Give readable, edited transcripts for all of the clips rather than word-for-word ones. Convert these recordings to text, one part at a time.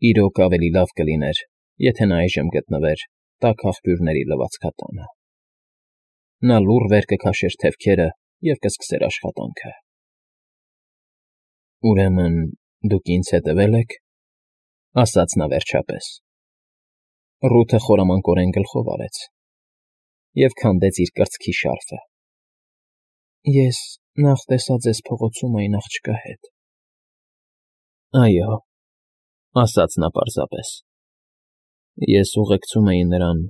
Իրոք ավելի լավ կլիներ, եթե նա այժմ գտնվեր տաք աղբյուրների լվացքատանը։ Նա լուռ վեր կքաշեր թևքերը և կսկսեր աշխատանքը։ Ուրեմն դուք ինձ հետևել եք, ասաց նա վերջապես։ Ռութը խորամանկորեն գլխով արեց և քանդեց իր կրծքի շարֆը։ Ես նախ տեսա ձեզ փողոցում այն աղջկա հետ։ Այո, ասաց նա պարզապես։ Ես ուղեկցում էի նրան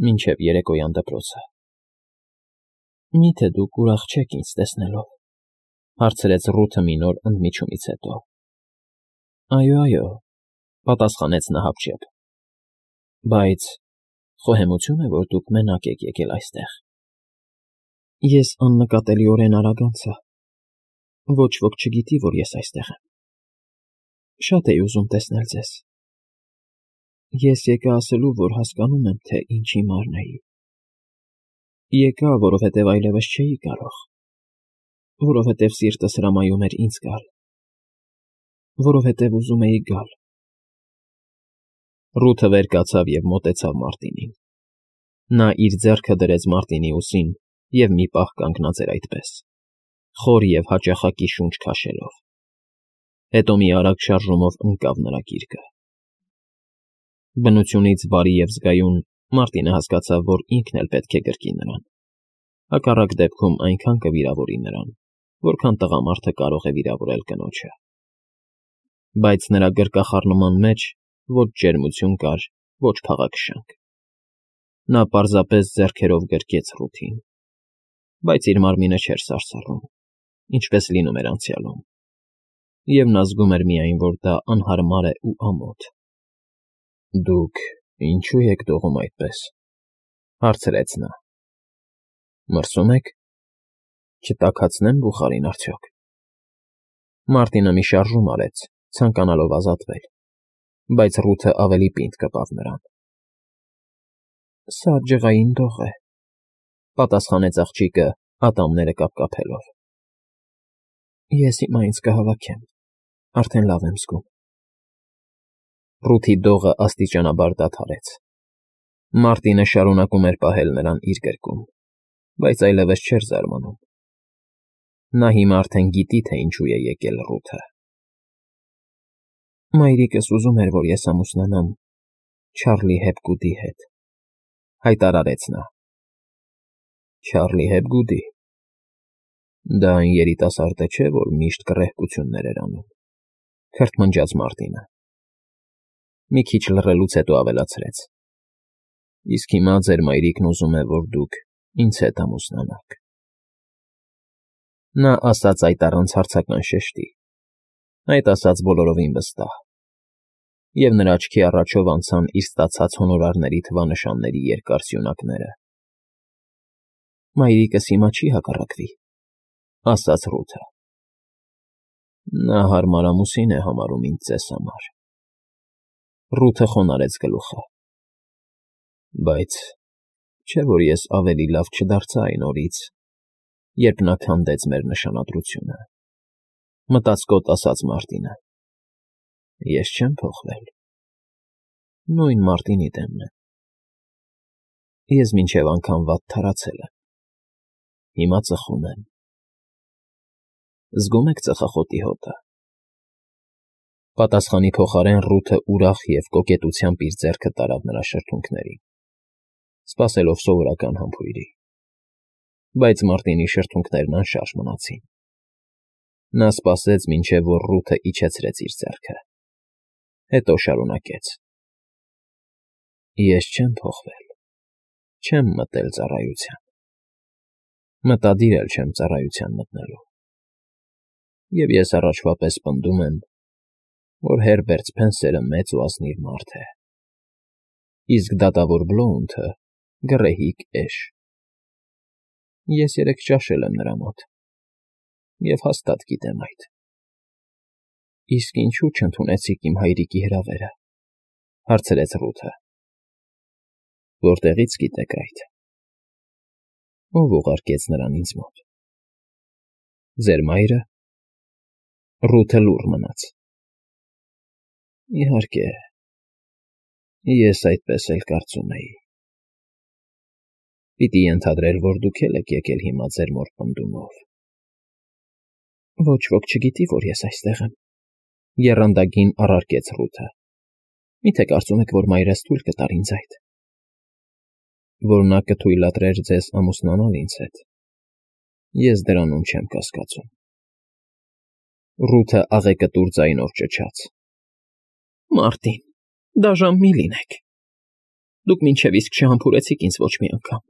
մինչև երեկոյան դպրոցը։ Մի՞թե դուք ուրախ չեք ինձ տեսնելով, հարցրեց Ռութը մի նոր ընդմիջումից հետո։ Այո, պատասխանեց նա հապճեպ։ Բայց խոհեմություն է, որ դուք մենակ եք եկել այստեղ։ Ես աննկատելիորեն արագ անցա։ Ոչ ոք չգիտի, որ ես այստեղ եմ։ Շատ էի ուզում տեսնել ձեզ։ Ես եկա ասելու, որ հասկանում եմ, թե ինչ հիմարն էի։ Եկա, որովհետև այլևս չէի կարող, որովհետև սիրտս հրամայում էր ինձ գալ, որովհետև ուզում էի գալ։ Ռութը վեր կացավ և մոտեցավ Մարտինին։ Նա իր ձեռքը դրեց Մարտինի ուսին և մի պահ կանգնած էր այդպես, խոր և հաճախակի շունչ քաշելով։ Հետո մի արագ շարժումով ընկավ նրա գիրկը։ Բնությունից բարի և զգայուն Մարտինը հասկացավ, որ ինքն էլ պետք է գրկի նրան։ Հակառակ դեպքում այնքան կվիրավորի նրան, որքան տղամարդը կարող է վիրավորել կնոջը։ Բայց նրա գրկախառնման մեջ ոչ ջերմություն կար, ոչ փաղաքշանք։ Նա պարզապես ձեռքերով գրկեց Ռութին, բայց իր մարմինը չէր սարսռում, ինչպես լինում էր անցյալում, և նա զգում էր միայն, որ դա անհարմար է ու ամոթ։ Դուք ինչո՞ւ եք դողում այդպես, հարցրեց նա։ Մրսում եք։ Չտաքացնե՞մ բուխարին արդյոք։ Մարտինը մի շարժում արեց, ցանկանալով ազատվել, բայց Ռութը ավելի պինդ կպավ նրան։ Սա ջղային դող է, պատասխանեց աղջիկը, ատամները կապկապելով։ Ես հիմա ինձ կհավաքեմ, արդեն լավ եմ զգում։ Ռութի դողը աստիճանաբար դադարեց։ Մարտինը շարունակում էր պահել նրան իր գրկում, բայց այլևս չէր զարմանում։ Նա հիմա արդեն գիտի, թե ինչու է եկել Ռութը։ Մայրիկս ուզում էր, որ ես ամուսնանամ Չարլի Հեփգուդի հետ, հայտարարեց նա։ Չարլի Հեփգուդի։ Դա այն երիտասարդը չէ, որ միշտ կռեհկություններ էր անում, քրթմնջաց Մարտինը։ Մի քիչ լռելուց հետո ավելացրեց. Իսկ հիմա ձեր մայրիկն ուզում է, որ դուք ինձ հետ ամուսնանաք։ Նա ասաց այդ առանց հարցական շեշտի, այդ ասաց բոլորովին վստահ, և նրա աչքի առաջով անցան իր ստացած հոնորարների թվանշանների երկար սյունակները։ Մայրիկս հիմա չի հակառակվի, ասաց Ռութը։ Նա հարմար ամուսին է համարում ինձ ձեզ համար։ Ռութը խոնարհեց գլուխը։ Բայց չէ՞ որ ես ավելի լավ չդարձա այն օրից, երբ նա քանդեց մեր նշանադրությունը, մտածկոտ ասաց Մարտինը։ Ես չեմ փոխվել։ Նույն Մարտինի դեմն եմ։ Ես մինչև անգամ վատ թարացել եմ։ Հիմա ծխում եմ։ Զգում եք ծխախոտի հոտը։ Պատասխանի փոխարեն Ռութը ուրախ և կոկետությամբ իր ձեռքը տարավ նրա շրթունքներին, սպասելով սովորական համբույրի։ Բայց Մարտինի շրթունքներն անշարժ մնացին։ Նա սպասեց, մինչև որ Ռութը իջեցրեց իր ձեռքը, հետո շարունակեց. Ես չեմ փոխվել, չեմ մտել ծառայության, մտադիր էլ չեմ ծառայության մտնելու, և ես առաջվա պես պնդում եմ, որ Հերբերտ Սփենսերը մեծ ու ազնիվ մարդ է, իսկ դատավոր Բլոունթը գռեհիկ էշ։ Ես երեկ ճաշել եմ նրա մոտ, և հաստատ գիտեմ այդ։ Իսկ ինչու չընդունեցիք իմ հայրիկի հրավերը, հարցրեց Ռութը։ Որտեղի՞ց գիտեք այդ։ Ո՞վ ուղարկեց նրան ինձ մոտ։ Ձեր մայրը։ Ռութը լուռ մնաց։ Իհարկե, Ես այդպես էլ կարծում էի։ Պիտի ենթադրել, որ դուք էլ եք եկել հիմա ձեր մոր պնդումով։ Ոչ ոք չգիտի, որ ես այստեղ եմ, եռանդագին առարկեց Ռութը։ Միթե կարծում եք, որ մայրս թույլ կտար ինձ այդ։ Որ նա կթույլատրեր ձեզ ամուսնանալ ինձ հետ։ Ես դրանում չեմ կասկածում։ Ռութը աղեկտուր ձայնով ճչաց. Մարտին, դաժան մի լինեք։ Դուք մինչև իսկ չհամբուրեցիք ինձ ոչ մի անգամ։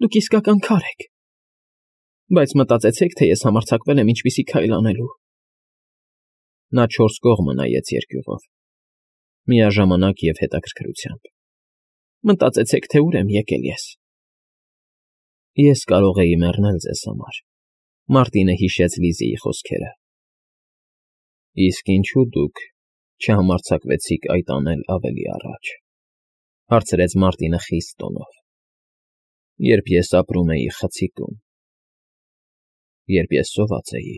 Դուք իսկական քար եք։ Բայց մտածեցեք, թե ես համարձակվել եմ ինչպիսի քայլ անելու։ Նա 4 կողմը նայեց երկյուղով, միաժամանակ և հետաքրքրությամբ։ Մտածեցեք, թե ուր եմ եկել ես։ Ես կարող էի մեռնել ձեզ համար, Մարտինը հիշեց Լիզիի խոսքերը։ Իսկ ինչու դուք չհամարձակվեցիք այդ անել ավելի առաջ, հարցրեց Մարտինը խիստ տոնով, երբ ես ապրում էի խցիկում, երբ ես սոված էի,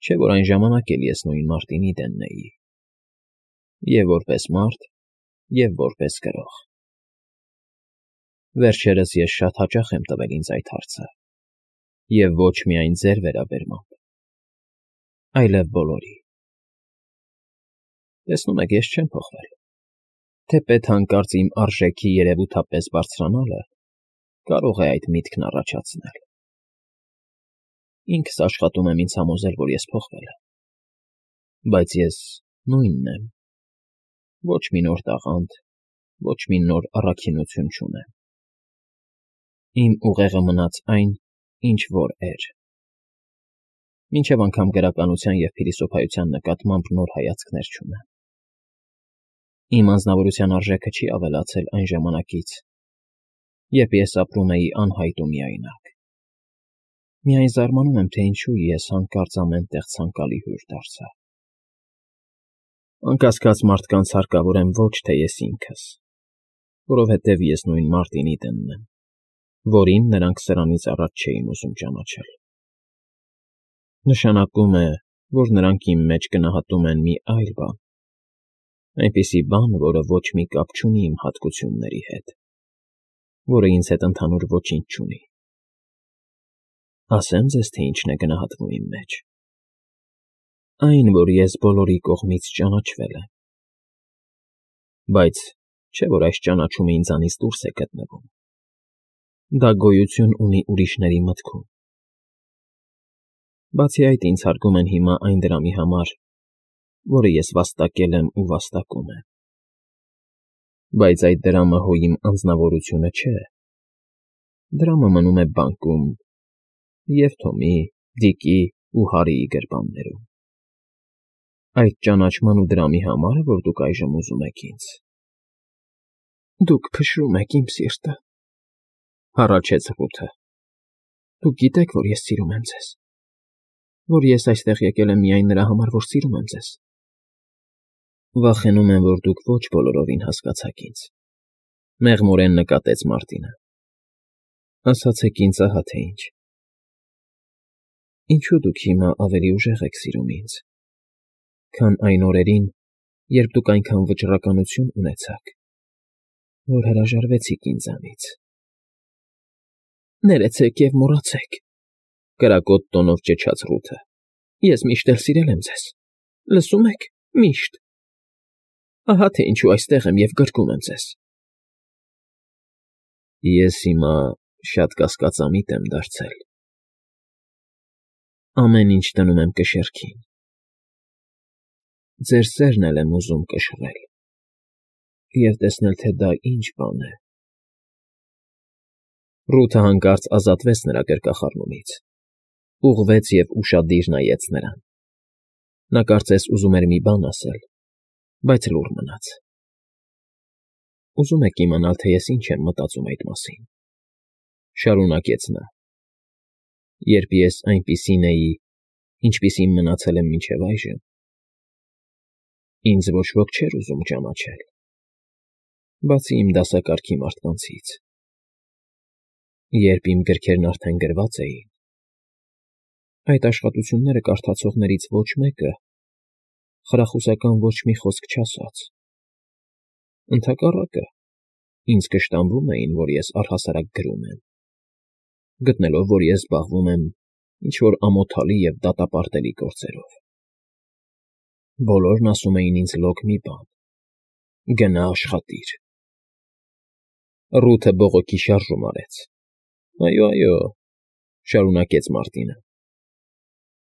չէ՞ որ այն ժամանակ էլ ես նույն Մարտինի դենն էի, և որպես մարդ, և որպես գրող։ Վերջերս ես շատ հաճախ եմ տվել ինձ այդ հարցը, և ոչ միայն ձեր վերաբերմամբ, այլև բոլորի։ Տեսնում եք, ես չեմ փոխվել։ Թեպետ հանկարծ իմ արժեքի երևութապես բարձրանալը կարող է այդ միտքն առաջացնել։ Ինքս աշխատում եմ ինձ համոզել, որ ես փոխվել եմ, բայց ես նույնն եմ, ոչ մի նոր տաղանդ, ոչ մի նոր առաքինություն չունեմ։ Իմ ուղեղը մնաց այն, ինչ որ էր։ Մինչև անգամ գրականության և փիլիսոփայության նկատմամբ նոր հայացքներ չունեմ։ Իմ անձնավորության արժեքը չի ավելացել այն ժամանակից, երբ ես ապրում էի անհայտ ու միայնակ։ Միայն զարմանում եմ, թե ինչու ես հանկարծ ամեն տեղ ցանկալի հյուր դարձա։ Անկասկած մարդկանց հարկավոր եմ ոչ թե ես ինքս, որովհետև ես նույն Մարտինի դենն եմ, որին նրանք սրանից առաջ չէին ուզում ճանաչել։ Նշանակում է, որ նրանք իմ մեջ գնահատում են մի այլ բան, այնպիսի բան, որը ոչ մի կապ չունի իմ հատկությունների հետ, որը ինձ հետ ընդհանուր ոչինչ չունի։ Ասեմ ձեզ, թե ինչն է գնահատվում իմ մեջ։ Այն, որ ես բոլորի կողմից ճանաչվել եմ։ Բայց չէ՞ որ այս ճանաչումը ինձանից դուրս է գտնվում։ Դա գոյություն ունի ուրիշների մտքում։ Բացի այդ, ինձ հարգում են հիմա այն դրամի համար, որը ես վաստակել եմ ու վաստակում եմ։ Բայց այդ դրամը հո իմ անձնավորությունը չէ։ Դրամը մնում է բանկում և Թոմի, Դիկի ու Հարիի գրպաններում։ Այդ ճանաչման ու դրամի համար է, որ դուք այժմ ուզում եք ինձ։ Դուք փշրում եք իմ սիրտը, հառաչեց Ռութը։ Դուք գիտեք, որ ես սիրում եմ ձեզ, որ ես այստեղ եկել եմ միայն նրա համար, որ սիրում եմ ձեզ։ Վախենում եմ, որ դուք ոչ բոլորովին հասկացաք ինձ, մեղմորեն նկատեց Մարտինը։ Ասացեք ինձ ահա թե ինչ։ Ինչու դուք հիմա ավելի ուժեղ եք սիրում ինձ, քան այն օրերին, երբ դուք այնքան վճռականություն ունեցաք, որ հրաժարվեցիք ինձանից։ Ներեցեք և մոռացեք, կրակոտ տոնով ճչաց Ռութը։ Ես միշտ էլ սիրել եմ ձեզ։ Լսում եք, միշտ։ Ահա թե ինչու այստեղ եմ և գրկում եմ ձեզ։ Ես հիմա շատ կասկածամիտ եմ դարձել։ Ամեն ինչ դնում եմ կշեռքին։ Ձեր սերն էլ եմ ուզում կշռել և տեսնել, թե դա ինչ բան է։ Ռութը հանկարծ ազատվեց նրա գրկախառնումից, ուղղվեց և ուշադիր նայեց նրան։ Նա կարծես ուզում էր մի բան ասել, բայց լուռ մնաց։ Ուզում եք իմանալ, թե ես ինչ եմ մտածում այդ մասին, շարունակեց նա։ Երբ ես այնպիսին էի, ինչպիսին մնացել եմ մինչև այժմ, ինձ ոչ ոք չէր ուզում ճանաչել, բացի իմ դասակարգի մարդկանցից։ Երբ իմ գրքերն արդեն գրված էին, այդ աշխատությունները կարդացողներից ոչ մեկը խրախուսական ոչ մի խոսք չասաց։ Ընդհակառակը, ինձ կշտամբում էին, որ ես առհասարակ գրում եմ, գտնելով, որ ես զբաղվում եմ ինչ-որ ամոթալի և դատապարտելի գործերով։ Բոլորն ասում էին ինձ լոկ մի բան. «Գնա աշխատիր»։ Ռութը բողոքի շարժում արեց։ «Այո, շարունակեց Մարտինը։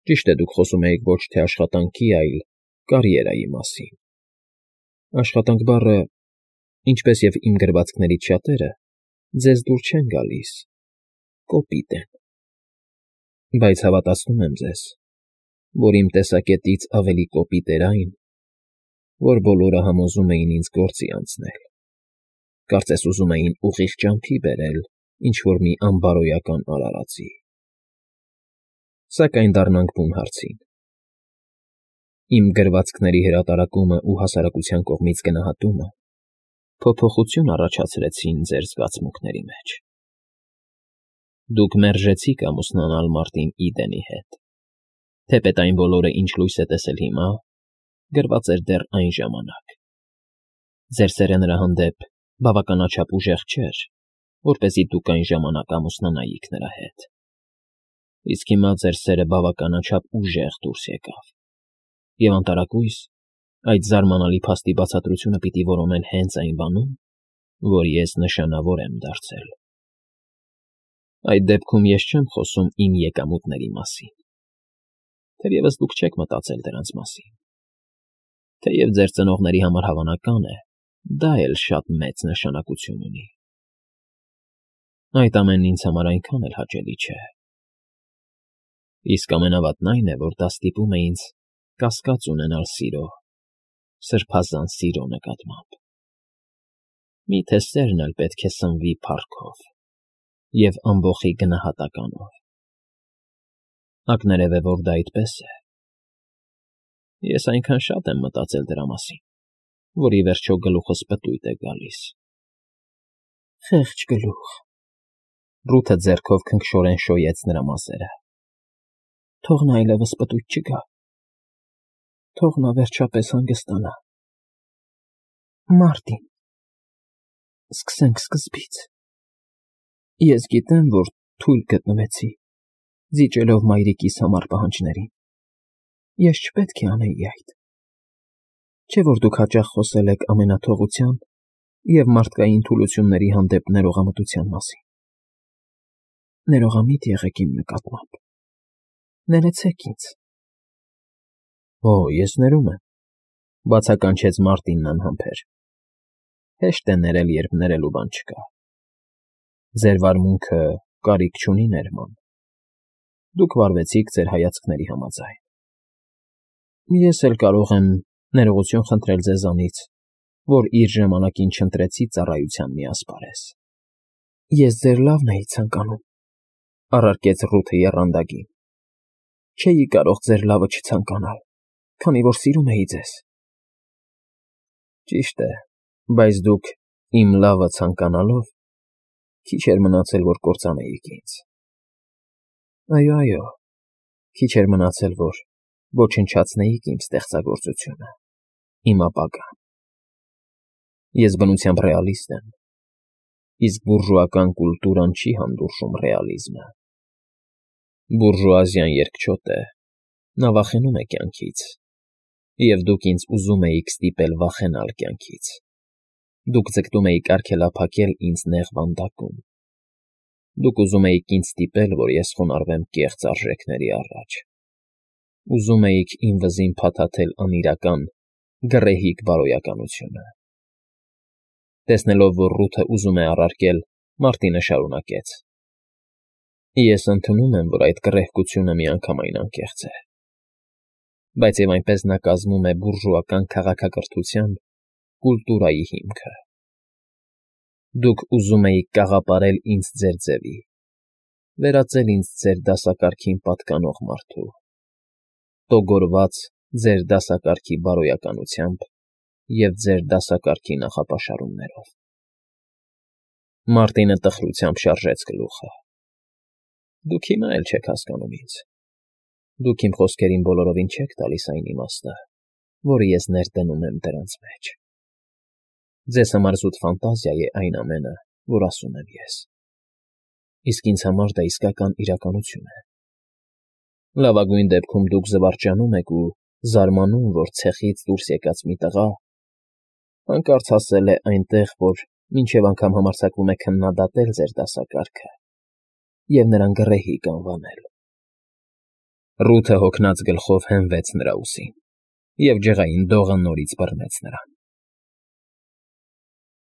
Ճիշտ է, դուք խոսում եք ոչ թե աշխատանքի, այլ կարիերայի մասին։ Աշխատանք բառը, ինչպես և իմ գրվածքներից շատերը, ձեզ դուր չեն գալիս, կոպիտ են։ Բայց հավատացնում եմ ձեզ, որ իմ տեսակետից ավելի կոպիտ էր այն, որ բոլորը համոզում էին ինձ գործի անցնել, կարծես ուզում էին ուղիղ ճամփի բերել ինչ֊որ մի անբարոյական արարածի։ Սակայն դառնանք բուն հարցին. իմ գրվածքների հրատարակումը ու հասարակության կողմից գնահատումը փոփոխություն առաջացրեցին ձեր զգացմունքների մեջ։ Դուք մերժեցիք ամուսնանալ Մարտին Իդենի հետ, թեպետ այն բոլորը, ինչ լույս է տեսել հիմա, գրված էր դեռ այն ժամանակ։ Ձեր սերը նրա հանդեպ բավականաչափ ուժեղ չէր, որպեսզի դուք այն ժամանակ ամուսնանայիք նրա հետ։ Իսկ հիմա ձեր սերը բավականաչափ ուժեղ դուրս եկավ, և անտարակույս այդ զարմանալի փաստի բացատրությունը պիտի որոնել հենց այն բանում, որ ես նշանավոր եմ դարձել։ Այդ դեպքում ես չեմ խոսում իմ եկամուտների մասին, թերևս դուք չեք մտածել դրանց մասին։ Թեև ձեր ծնողների համար հավանական է, դա էլ շատ մեծ նշանակություն ունի։ Այդ ամենն ինձ համար այնքան էլ հաճելի չէ։ Իսկ ամենավատն այն է, որ դա ստիպում է ինձ կասկած ունենալ սիրո, սրբազան սիրո նկատմամբ։ Միթե սերն էլ պետք է սնվի փառքով և ամբոխի գնահատականով։ Ակներև է, որ դա այդպես է։ Ես այնքան շատ եմ մտածել դրա մասին, որ ի վերջո գլուխս պտույտ է գալիս։ Խեղճ գլուխ։ Ռութը ձեռքով քնքշորեն շոյեց նրա մազերը։ Թող նա այլևս պտույտ չգա։ Թող նա վերջապես հանգստանա։ Մարտին, սկսենք սկզբից։ Ես գիտեմ, որ թույլ գտնվեցի, զիջելով մայրիկիս համար պահանջներին։ Ես չպետք է անեի այդ։ Չէ՞ որ դուք հաճախ խոսել եք ամենաթողության և մարդկային թուլությունների հանդեպ ներողամտության մասին։ Ներողամիտ եղեք իմ նկատմամբ։ Ներեցեք ինձ։ Օ, ես ներում եմ, բացականչեց Մարտինն անհամբեր։ Հեշտ է ներել, երբ ներելու բան չկա։ Ձեր վարմունքը կարիք չունի ներման։ Դուք վարվեցիք ձեր հայացքների համաձայն։ Ես էլ կարող եմ ներողություն խնդրել ձեզանից, որ իր ժամանակին չընտրեցի ծառայության մի ասպարեզ։ Ես ձեր լավն էի ցանկանում, առարկեց Ռութը եռանդակին։ Չէի կարող ձեր լավը չցանկանալ, քանի որ սիրում էի ձեզ։ Ճիշտ է, բայց դուք իմ լավը ցանկանալով քիչ էր մնացել, որ կործանեիք ինձ։ Այո, քիչ էր մնացել, որ ոչնչացնեիք իմ ստեղծագործությունը, իմ ապագան։ Ես բնությամբ ռեալիստ եմ, իսկ բուրժուական կուլտուրան չի հանդուրժում ռեալիզմը։ Բուրժուազիան երկչոտ է, նա վախենում է կյանքից, և դուք ինձ ուզում էիք ստիպել վախենալ կյանքից։ Դուք ձգտում էիք արգելափակել ինձ նեղ վանդակում։ Դուք ուզում էիք ինձ ստիպել, որ ես խոնարհվեմ կեղծ արժեքների առաջ։ Ուզում էիք իմ վզին փաթաթել անիրական, գռեհիկ բարոյականությունը։ Տեսնելով, որ Ռութը ուզում է առարկել, Մարտինը շարունակեց. Ես ընդունում եմ, որ այդ կռեհկությունը միանգամայն անկեղծ է։ Բայց և այնպես նա կազմում է բուրժուական քաղաքակրթության, կուլտուրայի հիմքը։ Դուք ուզում էիք կաղապարել ինձ ձեր ձևի, վերածել ինձ ձեր դասակարգին պատկանող մարդու, տոգորված ձեր դասակարգի բարոյականությամբ և ձեր դասակարգի նախապաշարումներով։ Մարտինը տխրությամբ շարժեց գլուխը։ Դուք հիմա էլ չեք հասկանում ինձ։ Դուք իմ խոսքերին բոլորովին չեք տալիս այն իմաստը, որը ես ներդնում եմ դրանց մեջ։ Ձեզ համար զուտ ֆանտազիա է այն ամենը, որ ասում եմ ես, իսկ ինձ համար դա իսկական իրականություն է։ Լավագույն դեպքում դուք զվարճանում եք ու զարմանում, որ ցեխից դուրս եկած մի տղա հանկարծ հասել է այնտեղ, որ մինչև անգամ համարձակվում է քննադատել ձեր դասակարգը և նրան գռեհիկ անվանել։ Ռութը հոգնած գլխով հենվեց նրա ուսին, և ջղային դողը նորից բռնեց նրան։